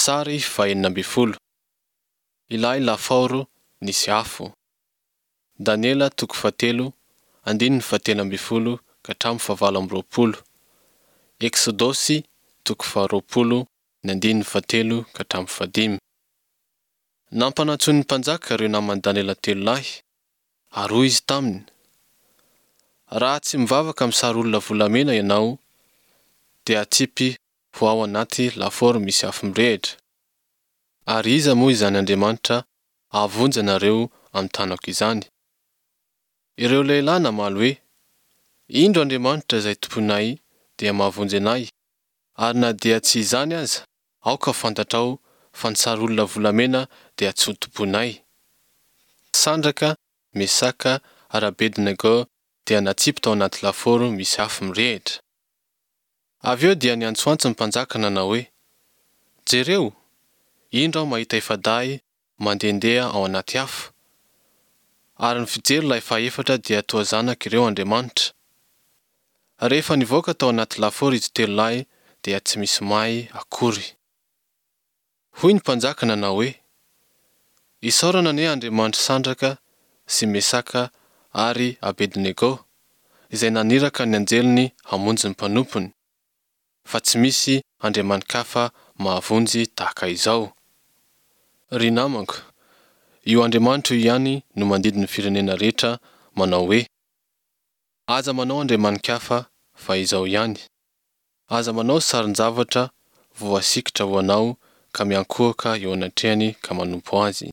Sary faha-16. Ilay lafaoro nisy afo. Daniela toko fahatelo, andininy fahatelo ambin'ny folo ka hatramin'ny fahavalo amby roapolo. Eksodosy toko faharoapolo, ny andininy fahatelo ka hatramin'ny fahadimy. Nampanantsoin'ny mpanjaka ireo naman'i Daniela telo lahy, ary hoy izy taminy, Raha tsy mivavaka amin'ny sary olona volamena ianao, dia hatsipy ho ao anaty lafaoro misy afo mirehitra. Ary iza moa izany Andriamanitra hahavonjy anareo amin'ny tanako izany? Ireo lehilahy namaly hoe, Indro Andriamanitra izay tompoinay dia mahavonjy anay, ary na dia tsy izany aza, aoka ho fantatrao fa ny sary olona volamena dia tsy hotompoinay. Sandraka, Mesaka ary Abednego dia natsipy tao anaty lafaoro misy afo mirehitra. Avy eo dia niantsoantso ny mpanjaka nanao hoe, Jereo! Indro aho mahita efa-dahy mandehandeha ao anaty afo. Ary ny fijery ilay fahefatra dia toa zanak' ireo andriamanitra. Rehefa nivoaka tao anaty lafaoro izy telo lahy dia tsy misy may akory. Hoy ny mpanjaka nanao hoe, Isaorana anie Andriamanitr'i Sandraka sy Mesaka ary Abednego, izay naniraka ny anjeliny hamonjy ny mpanompony, fa tsy misy andriamani-kafa mahavonjy tahaka izao. Ry namako, io Andriamanitra io ihany no mandidy ny firenena rehetra manao hoe, Aza manao andriamani-kafa fa Izaho ihany. Aza manao sarin-javatra voasikotra ho anao ka miankohoka eo anatrehany ka manompo azy.